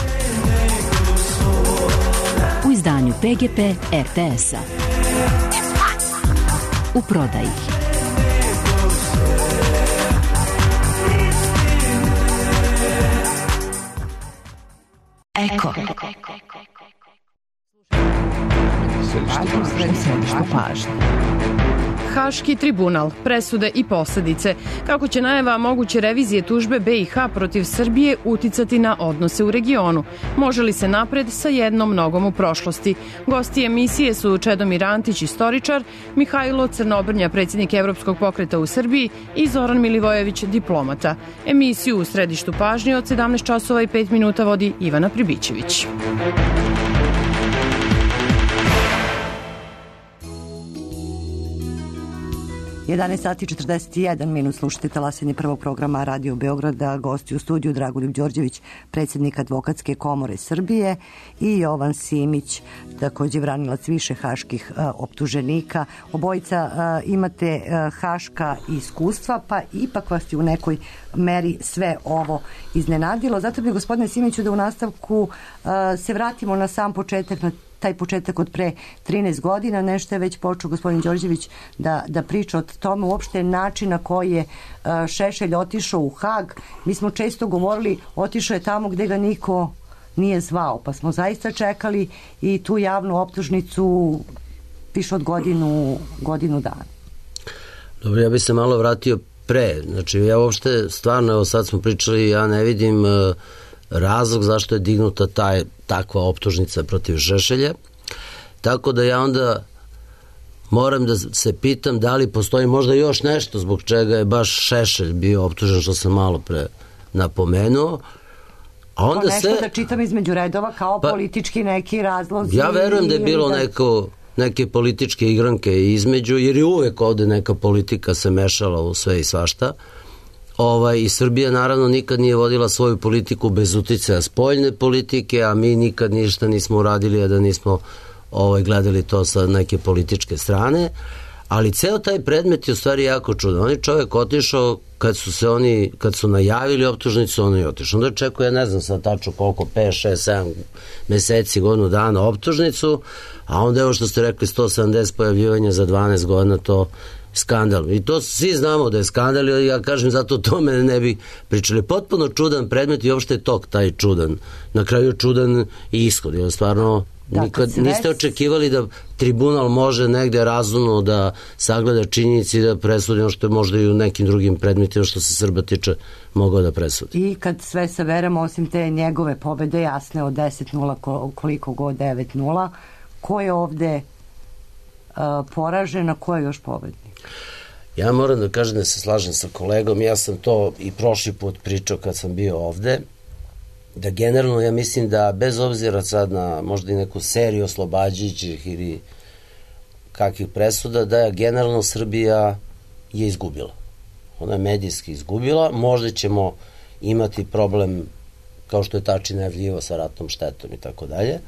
U izdanju P G P R T S-a. U prodaji. Eko. Središte pažnje. Haški tribunal, presude i posledice. Kako će najava moguće revizije tužbe B i H protiv Srbije uticati na odnose u regionu? Može li se napred sa jednom nogom u prošlosti? Gosti emisije su Čedomir Antić, istoričar, Mihajlo Crnobrnja, predsjednik Evropskog pokreta u Srbiji i Zoran Milivojević, diplomata. Emisiju u središtu pažnje od sedamnaest časova i pet minuta vodi Ivana Pribićević. jedanaest sati četrdeset jedan minut, slušate talasanje prvog programa Radio Beograda, gosti u studiju Dragoljub Đorđević, predsjednik Advokatske komore Srbije, i Jovan Simić, također branilac više haških a, optuženika. Obojica a, imate a, haška iskustva, pa ipak vas je u nekoj meri sve ovo iznenadilo. Zato bi, gospodine Simiću, da u nastavku a, se vratimo na sam početak, na taj početak od pre trinaest godina, nešto je već počeo gospodin Đorđević da, da priča o tome, uopšte način na koji je uh, Šešelj otišao u Hag. Mi smo često govorili, otišao je tamo gde ga niko nije zvao, pa smo zaista čekali i tu javnu optužnicu više od godinu, godinu dana. Dobro, ja bih se malo vratio pre. Znači, ja uopšte, stvarno, evo sad smo pričali, ja ne vidim uh, razlog zašto je dignuta taj, takva optužnica protiv Šešelja. Tako da ja onda moram da se pitam da li postoji možda još nešto zbog čega je baš Šešelj bio optužen, što sam malo pre napomenuo. A onda nešto se, da čitam između redova kao pa, politički neki razlozi. Ja verujem da je bilo da... neko, neke političke igranke između, jer je uvek ovde neka politika se mešala u sve i svašta. Ovaj, i Srbija naravno nikad nije vodila svoju politiku bez uticaja spoljne politike, a mi nikad ništa nismo uradili, a da nismo ovaj, gledali to sa neke političke strane. Ali ceo taj predmet je u stvari jako čudan. On je čovjek otišao kad su se oni, kad su najavili optužnicu, on je otišao. Onda čekao, ja ne znam sad tačno koliko, pet, šest, sedam meseci, godinu dana optužnicu, a onda evo što ste rekli, sto sedamdeset pojavljivanja za dvanaest godina, to skandal. I to svi znamo da je skandal, i ja kažem, zato o tome ne bi pričali. Potpuno čudan predmet i uopšte je tok taj čudan. Na kraju čudan i ishod. Jer stvarno da, nikad niste očekivali da tribunal može negde razumno da sagleda činjenici i da presudi ono što je možda i u nekim drugim predmetima što se Srba tiče mogao da presudi. I kad sve saberemo, osim te njegove pobede jasne od deset nula, koliko god devet nula, ko je ovde uh, poražen, a ko je još pobednik? Ja moram da kažem da se slažem sa kolegom, ja sam to i prošli put pričao kad sam bio ovde, da generalno ja mislim da bez obzira sad na možda i neku seriju oslobađajućih ili kakvih presuda, da je generalno Srbija je izgubila. Ona je medijski izgubila, možda ćemo imati problem kao što je Tači najavljivo sa ratnom štetom i tako dalje.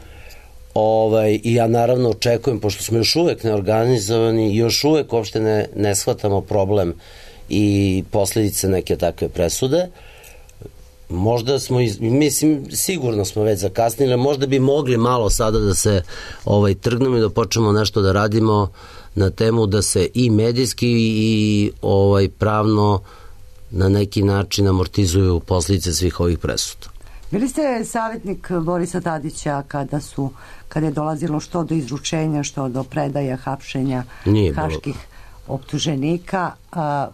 Ovaj, i ja naravno očekujem, pošto smo još uvek neorganizovani, još uvek uopšte ne, ne shvatamo problem i posljedice neke takve presude, možda smo, iz, mislim, sigurno smo već zakasnili, možda bi mogli malo sada da se ovaj, trgnemo i da počnemo nešto da radimo na temu da se i medijski i ovaj, pravno na neki način amortizuju posljedice svih ovih presuda. Bili ste savjetnik Borisa Tadića kada su, kada je dolazilo što do izručenja, što do predaja, hapšenja haških optuženika. A,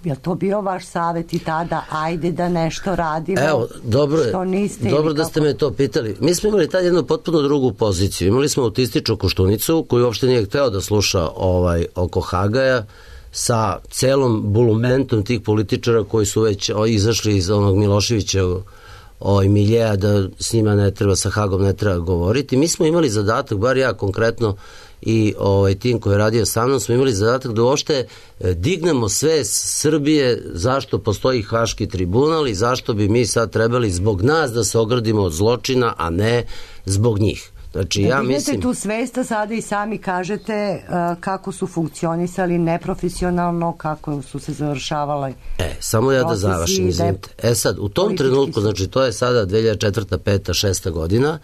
je to bio vaš savjet i tada, ajde da nešto radimo? Evo, dobro, dobro da ste me to pitali. Mi smo imali tad jednu potpuno drugu poziciju. Imali smo autističnu Koštunicu koji uopšte nije hteo da sluša ovaj, oko Hagaja, sa celom bulumentom tih političara koji su već o, izašli iz onog Miloševića ovaj, miljeja da s njima ne treba, sa Hagom ne treba govoriti. Mi smo imali zadatak, bar ja konkretno i ovaj, tim koji je radio sa mnom, smo imali zadatak da uopšte dignemo sve Srbije zašto postoji Haški tribunal i zašto bi mi sad trebali zbog nas da se ogradimo od zločina, a ne zbog njih. Znači, da ja dignete mislim... tu svesta, sada i sami kažete uh, kako su funkcionisali neprofesionalno, kako su se završavali. E, samo ja da završim, izvinite. E sad, u tom trenutku, znači to je sada dve hiljade četvrta, peta, šesta godina,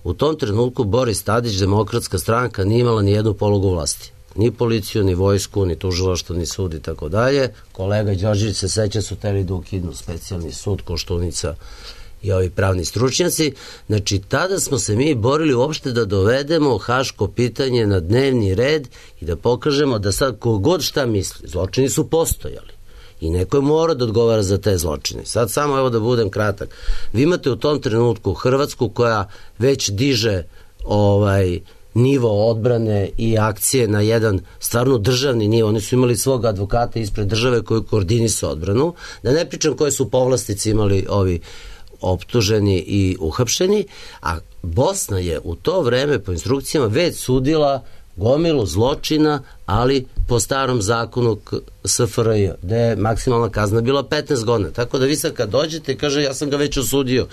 u tom trenutku Boris Tadić, Demokratska stranka, nije imala ni jednu polugu vlasti. Ni policiju, ni vojsku, ni tužilaštvo, ni sud i tako dalje. Kolega Đorđević se seća su teli da ukidnu specijalni sud, Koštunica i ovi pravni stručnjaci. Znači, tada smo se mi borili uopšte da dovedemo haško pitanje na dnevni red i da pokažemo da sad kogod šta misli, zločini su postojali i neko je mora da odgovara za te zločine. Sad samo evo da budem kratak. Vi imate u tom trenutku Hrvatsku koja već diže ovaj nivo odbrane i akcije na jedan stvarno državni nivo. Oni su imali svog advokata ispred države koji koordinisao odbranu. Da ne pričam koje su povlastice imali ovi optuženi i uhapšeni, a Bosna je u to vreme po instrukcijama već sudila gomilu zločina, ali po starom zakonu S F R J, gde je maksimalna kazna bila petnaest godina. Tako da vi sad kad dođete i kaže ja sam ga već osudio,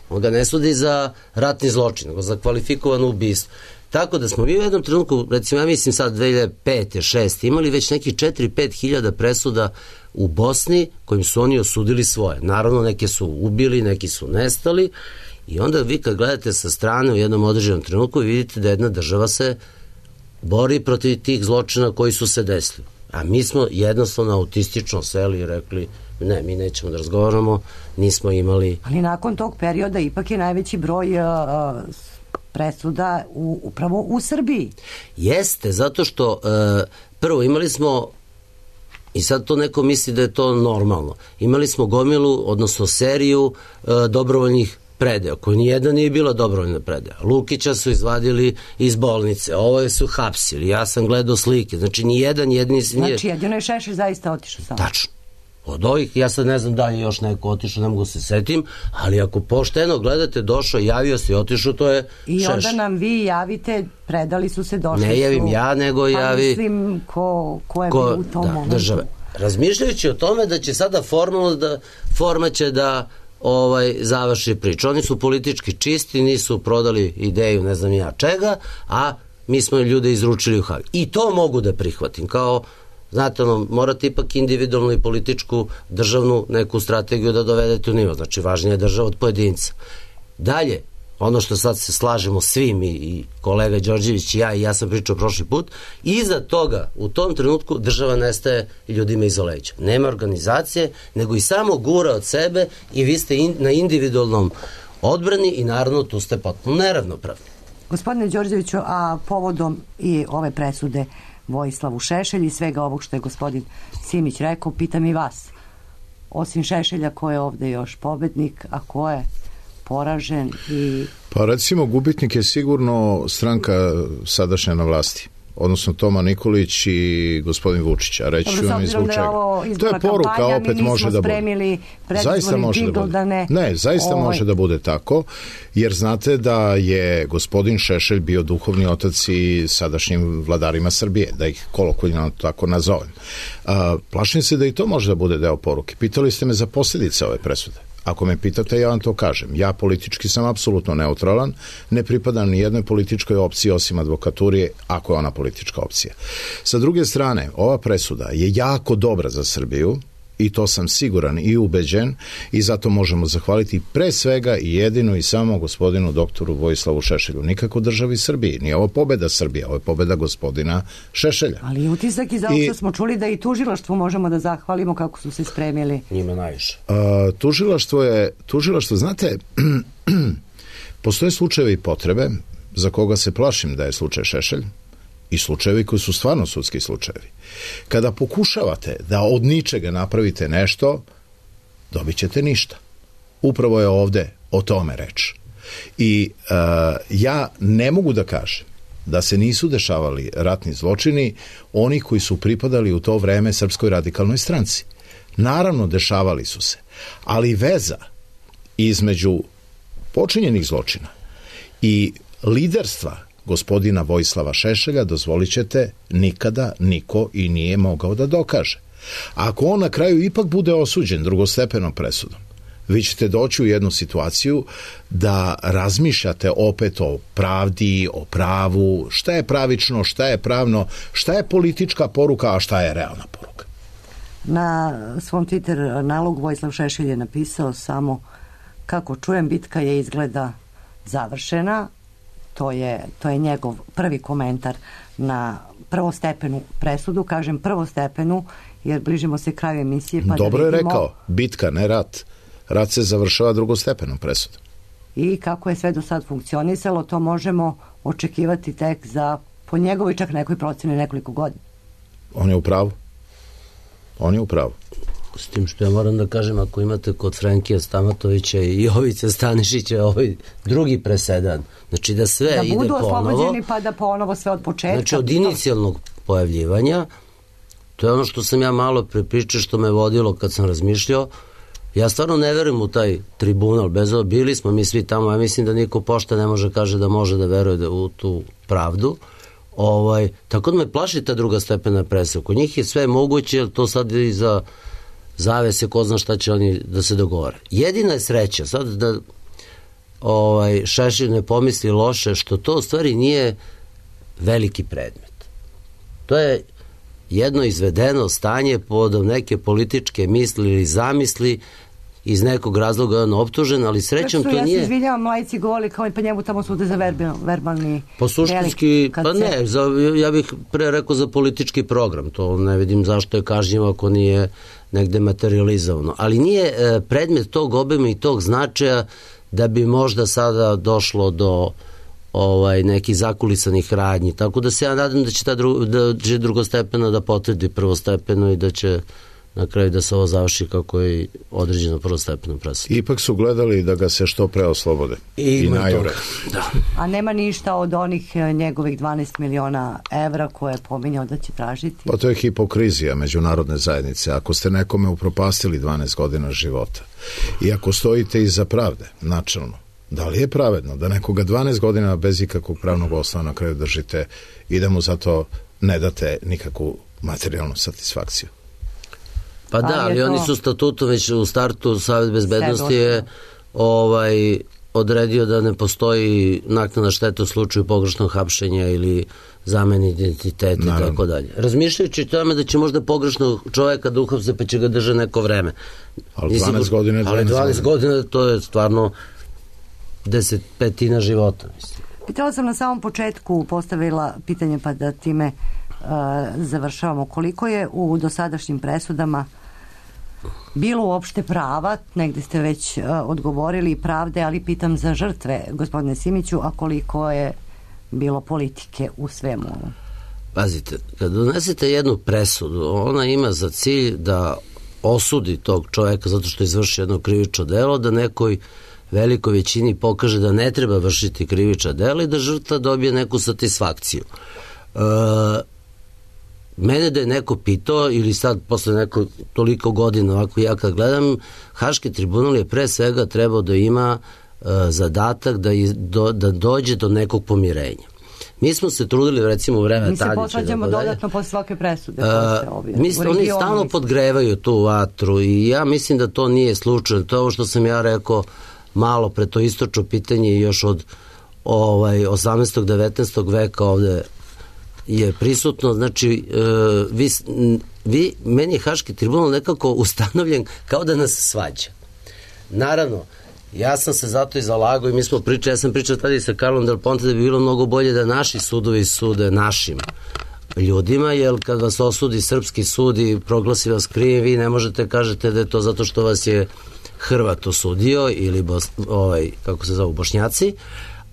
on ga ne sudi za ratni zločin, nego za kvalifikovano ubistvo. Tako da smo mi u jednom trenutku, recimo ja mislim sad dve hiljade pete, šeste imali već neki četiri do pet hiljada presuda u Bosni kojim su oni osudili svoje. Naravno, neke su ubili, neki su nestali i onda vi kad gledate sa strane u jednom određenom trenutku vidite da jedna država se bori protiv tih zločina koji su se desili. A mi smo jednostavno autistično seli i rekli ne, mi nećemo da razgovaramo, nismo imali... Ali nakon tog perioda ipak je najveći broj uh, presuda u, upravo u Srbiji. Jeste, zato što uh, prvo imali smo, i sad to neko misli da je to normalno, imali smo gomilu, odnosno seriju uh, dobrovoljnih predaja, koji nijedna nije bila dobrovoljna predaja. Lukića su izvadili iz bolnice, ovo su hapsili, ja sam gledao slike, znači nijedan jedni... Znači jedino je Šešelj zaista otišao sam. Tačno. Od ovih, ja sad ne znam da je još neko otišao, ne mogu se setim, ali ako pošteno gledate, došao, javio se i otišao, to je I Šešelj. Onda nam vi javite, predali su se, došli su... Ne javim ja, nego javi... Pa mislim, ko, ko je ko, bio u tom da, momentu. Države. Razmišljajući o tome da će sada formalno da, forma će da ovaj, završi priču. Oni su politički čisti, nisu prodali ideju ne znam ja čega, a mi smo ljude izručili u Hag. I to mogu da prihvatim, kao znate, ono, morate ipak individualnu i političku državnu neku strategiju da dovedete u nivo. Znači, važnija je država od pojedinca. Dalje, ono što sad se slažemo svim i, i kolega Đorđević i ja i ja sam pričao prošli put, iza toga u tom trenutku država nestaje i ljudima iza leđa. Nema organizacije, nego i samo gura od sebe i vi ste in, na individualnom odbrani i naravno tu ste potpuno neravnopravni. Gospodine Đorđeviću, a povodom i ove presude Vojislavu Šešelju i svega ovog što je gospodin Simić rekao, pitam i vas. Osim Šešelja, ko je ovde još pobednik, a ko je poražen? I... Pa recimo gubitnik je sigurno stranka sadašnja na vlasti, odnosno Toma Nikolić i gospodin Vučić, a reći ću vam i zbog čega. To je poruka, kampanja, opet može da bude. Zaista može da bude. Da ne, ne, zaista ovaj... može da bude tako, jer znate da je gospodin Šešelj bio duhovni otac i sadašnjim vladarima Srbije, da ih kolokvijalno tako nazovem. A, plašim se da i to može da bude deo poruke. Pitali ste me za posljedice ove presude. Ako me pitate, ja vam to kažem. Ja politički sam apsolutno neutralan, ne pripadam ni jednoj političkoj opciji osim advokaturije, ako je ona politička opcija. Sa druge strane, ova presuda je jako dobra za Srbiju i to sam siguran i ubeđen i zato možemo zahvaliti pre svega i jedino i samo gospodinu doktoru Vojislavu Šešelju. Nikako državi Srbiji. Nije ovo pobeda Srbije, ovo je pobeda gospodina Šešelja. Ali utisak iz ovog što smo čuli da i tužilaštvu možemo da zahvalimo kako su se spremili. Njima najviše. A, tužilaštvo je, tužilaštvo, znate, postoje slučajevi i potrebe za koga se plašim da je slučaj Šešelj i slučajevi koji su stvarno sudski slučajevi. Kada pokušavate da od ničega napravite nešto, dobit ćete ništa. Upravo je ovde o tome reč. I uh, ja ne mogu da kažem da se nisu dešavali ratni zločini oni koji su pripadali u to vreme Srpskoj radikalnoj stranci. Naravno, dešavali su se, ali veza između počinjenih zločina i liderstva gospodina Vojislava Šešelja, dozvolit ćete, nikada niko i nije mogao da dokaže. Ako on na kraju ipak bude osuđen drugostepenom presudom, vi ćete doći u jednu situaciju da razmišljate opet o pravdi, o pravu, šta je pravično, šta je pravno, šta je politička poruka, a šta je realna poruka. Na svom Twitter nalogu Vojislav Šešelj je napisao samo: kako čujem, bitka je izgleda završena. To je, to je njegov prvi komentar na prvostepenu presudu. Kažem prvostepenu jer bližimo se kraju emisije. Pa dobro da je vidimo... rekao, bitka, ne rat. Rat se završava drugostepenom presudom. I kako je sve do sad funkcionisalo, to možemo očekivati tek za, po njegovoj čak nekoj proceni, nekoliko godina. On je u pravu. On je u pravu. S tim što ja moram da kažem, ako imate kod Frenkija Stamatovića i Jovice Stanišića ovaj drugi presedan, znači da sve da ide ponovo. Da budu oslobođeni pa da ponovo sve od početka. Znači od inicijalnog pojavljivanja, to je ono što sam ja malo prepričao, što me vodilo kad sam razmišljao. Ja stvarno ne verujem u taj tribunal, bez ovo, bili smo mi svi tamo, ja mislim da niko pošta ne može kaže da može da veruje da u tu pravdu. Ovaj, tako da me plaši ta druga stepena presuda. Kod njih je sve moguće, jer to sad i za zavese, ko zna šta će oni da se dogovore. Jedina je sreća, sad da ovaj, Šešelj ne pomisli loše, što to u stvari nije veliki predmet. To je jedno izvedeno stanje pod neke političke misli ili zamisli, iz nekog razloga je on optužen, ali srećom to ja nije... Ja se izvinjavam, lajci govori kao i pa njemu tamo sude za verbalni... Po suštinski, pa ne, za, ja bih pre rekao za politički program, to ne vidim zašto je kažnjivo ako nije negde materializovano, ali nije e, predmet tog obima i tog značaja da bi možda sada došlo do ovaj, nekih zakulisanih radnji, tako da se ja nadam da će, ta dru, da će drugostepeno da potvrdi prvostepeno i da će na kraju da se ovo završi kako je određeno prvostepenom presudom. Ipak su gledali da ga se što pre oslobode. I, I najure. Da. A nema ništa od onih njegovih dvanaest miliona evra koje je pominjao da će tražiti? Pa to je hipokrizija međunarodne zajednice. Ako ste nekome upropastili dvanaest godina života i ako stojite iza pravde, načelno, da li je pravedno da nekoga dvanaest godina bez ikakvog pravnog osnova na kraju držite i da mu zato ne date nikakvu materijalnu satisfakciju? Pa da, ali oni su statutom već u startu, Savet bezbednosti je ovaj, odredio da ne postoji naknadna šteta u slučaju pogrešnog hapšenja ili zamene identiteta i tako dalje. Razmišljajući o tome da će možda pogrešnog čoveka da uhapse pa će ga držati neko vreme. Ali dvanaest godina je dvanaest godina. Ali dvanaest godina to je stvarno deset petina života, mislim. Pitala sam na samom početku, postavila pitanje pa da time uh, završavamo. Koliko je u dosadašnjim presudama bilo uopšte prava, negde ste već uh, odgovorili pravde, ali pitam za žrtve, gospodine Simiću, a koliko je bilo politike u svemu? Pazite, kad donesete jednu presudu, ona ima za cilj da osudi tog čoveka zato što izvrši jedno krivično delo, da nekoj velikoj većini pokaže da ne treba vršiti krivična dela i da žrtva dobije neku satisfakciju. E, mene da je neko pitao, ili sad posle neko toliko godina ovako ja kad gledam, Haški tribunal je pre svega trebao da ima e, zadatak da, iz, do, da dođe do nekog pomirenja. Mi smo se trudili recimo u vreme Tadića. Mi se posvađamo dodatno posle svake presude. Uh, mislim, oni stalno mislim. podgrevaju tu vatru i ja mislim da to nije slučajno. To je ovo što sam ja rekao malo pre, to istočno pitanje još od ovaj, osamnaestog devetnaestog veka ovde je prisutno. Znači, uh, vi, vi, meni je Haški tribunal nekako ustanovljen kao da nas svađa. Naravno, ja sam se zato i zalagao i mi smo pričali, ja sam pričao tada i sa Karlom Del Ponte da bi bilo mnogo bolje da naši sudovi sude našim ljudima, jer kad vas osudi srpski sud i proglasi vas krivim, vi ne možete kažete da je to zato što vas je Hrvat osudio ili bos, ovaj, kako se zove, Bošnjaci,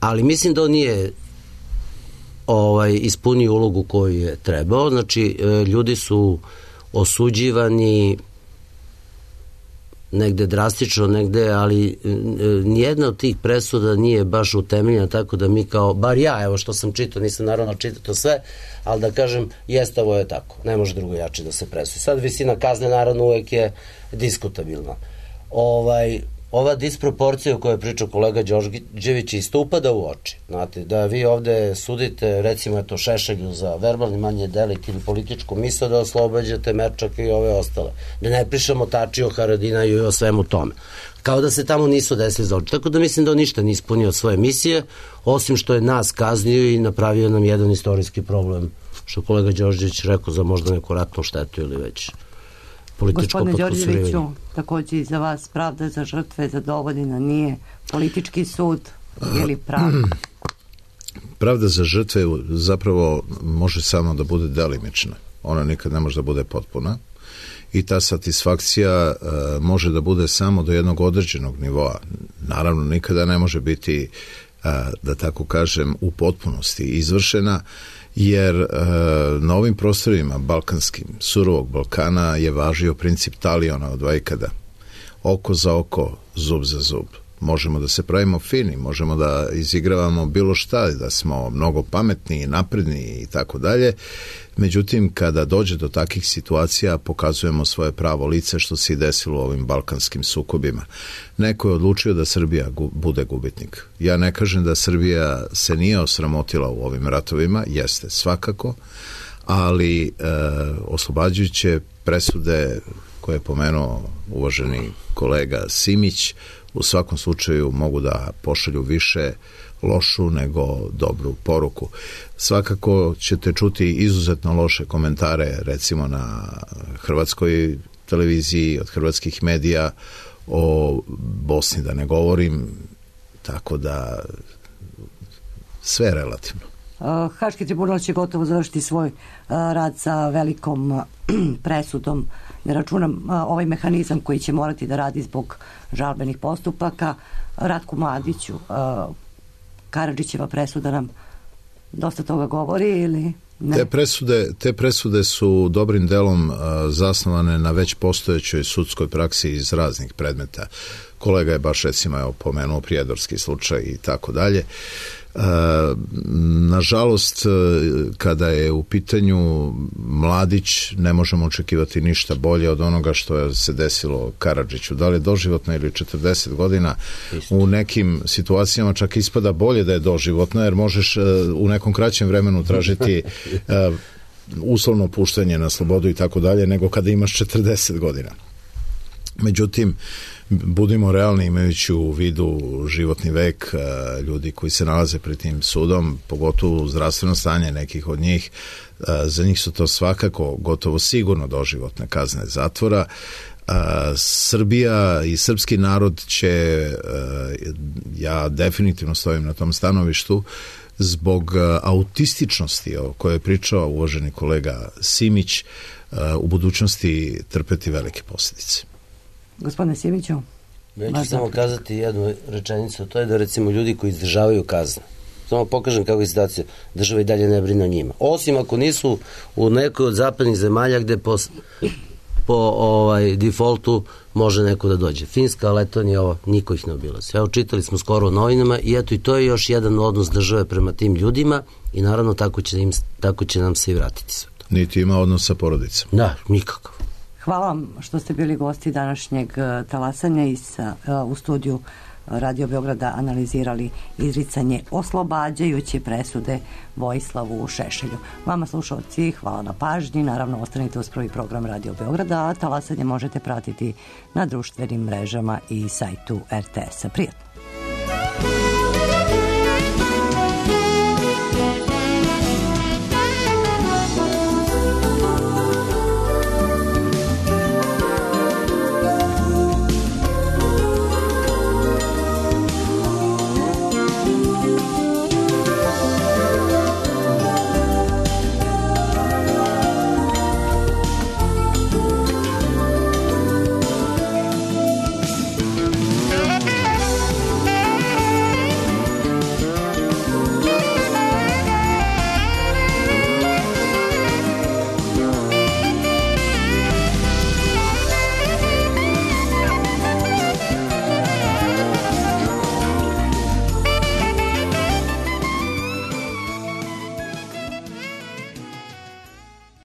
ali mislim da on nije ovaj, ispunio ulogu koju je trebao. Znači, ljudi su osuđivani negde drastično, negde, ali nijedna od tih presuda nije baš utemeljena tako da mi kao, bar ja, evo što sam čitao, nisam naravno čitao to sve, ali da kažem, jeste, ovo je tako, ne može drugo jače da se presudi. Sad visina kazne naravno uvek je diskutabilna. Ovaj, ova disproporcija o kojoj je pričao kolega Đorđević isto upada u oči. Znate, da vi ovde sudite, recimo eto Šešelju za verbalni manje delikt ili političku misao, da oslobađate Merčaka i ove ostale. Da ne pričamo Tačiju, Haradinaju i o svemu tome. Kao da se tamo nisu desili zločini. Tako da mislim da on ništa nije ispunio svoje misije, osim što je nas kaznio i napravio nam jedan istorijski problem, što kolega Đorđević rekao, za možda neku ratnu štetu ili već političko potkusurivanje. Gospodine Đorđeviću, takođe i za vas pravda za žrtve zadovoljena nije politički sud ili pravda? Pravda za žrtve zapravo može samo da bude delimična. Ona nikad ne može da bude potpuna i ta satisfakcija uh, može da bude samo do jednog određenog nivoa. Naravno, nikada ne može biti, uh, da tako kažem, u potpunosti izvršena, jer e, na ovim prostorima balkanskim, surovog Balkana je važio princip taliona od vajkada. Oko za oko, zub za zub. Možemo da se pravimo fini, možemo da izigravamo bilo šta, da smo mnogo pametni, napredni i tako dalje. Međutim, kada dođe do takih situacija, pokazujemo svoje pravo lice, što se i desilo u ovim balkanskim sukobima. Neko je odlučio da Srbija gu, bude gubitnik. Ja ne kažem da Srbija se nije osramotila u ovim ratovima, jeste svakako, ali e, oslobađajuće presude koje je pomenuo uvaženi kolega Simić, u svakom slučaju mogu da pošalju više lošu nego dobru poruku. Svakako ćete čuti izuzetno loše komentare, recimo na hrvatskoj televiziji, od hrvatskih medija, o Bosni da ne govorim, tako da sve je relativno. Haški tribunal će gotovo završiti svoj rad sa velikom presudom. Ne računam ovaj mehanizam koji će morati da radi zbog žalbenih postupaka. Ratku Mladiću, Karadžićeva presuda nam dosta toga govori ili ne? Te presude, te presude su dobrim delom uh, zasnovane na već postojećoj sudskoj praksi iz raznih predmeta. Kolega je baš recimo evo, pomenuo prijedorski slučaj i tako dalje. Nažalost, kada je u pitanju Mladić, ne možemo očekivati ništa bolje od onoga što je se desilo Karadžiću. Da li je doživotno ili četrdeset godina, u nekim situacijama čak ispada bolje da je doživotno, jer možeš u nekom kraćem vremenu tražiti uslovno puštanje na slobodu i tako dalje, nego kada imaš četrdeset godina. Međutim, budimo realni imajući u vidu životni vek ljudi koji se nalaze pred tim sudom, pogotovo zdravstveno stanje nekih od njih, za njih su to svakako gotovo sigurno doživotne kazne zatvora. Srbija i srpski narod će, ja definitivno stojim na tom stanovištu, zbog autističnosti o kojoj je pričao uvaženi kolega Simić, u budućnosti trpeti velike posljedice. Gospodine Simiću? Ja ću samo kazati jednu rečenicu, to je da recimo ljudi koji izdržavaju kazne, samo pokažem kako je situacija, država i dalje ne brine o njima. Osim ako nisu u nekoj od zapadnih zemalja gde po, po ovaj, defaultu može neko da dođe. Finska, Letonija, ovo, niko ih ne obilazi. Evo, čitali smo skoro u novinama i eto i to je još jedan odnos države prema tim ljudima i naravno tako će, im, tako će nam se i vratiti sve to. Niti ima odnos sa porodicom. Da, nikakav. Hvala vam što ste bili gosti današnjeg talasanja i sa, u studiju Radio Beograda analizirali izricanje oslobađajuće presude Vojislavu Šešelju. Vama slušalci, hvala na pažnji. Naravno, ostanite uz prvi program Radio Beograda, a talasanje možete pratiti na društvenim mrežama i sajtu er te es-a. Prijatno!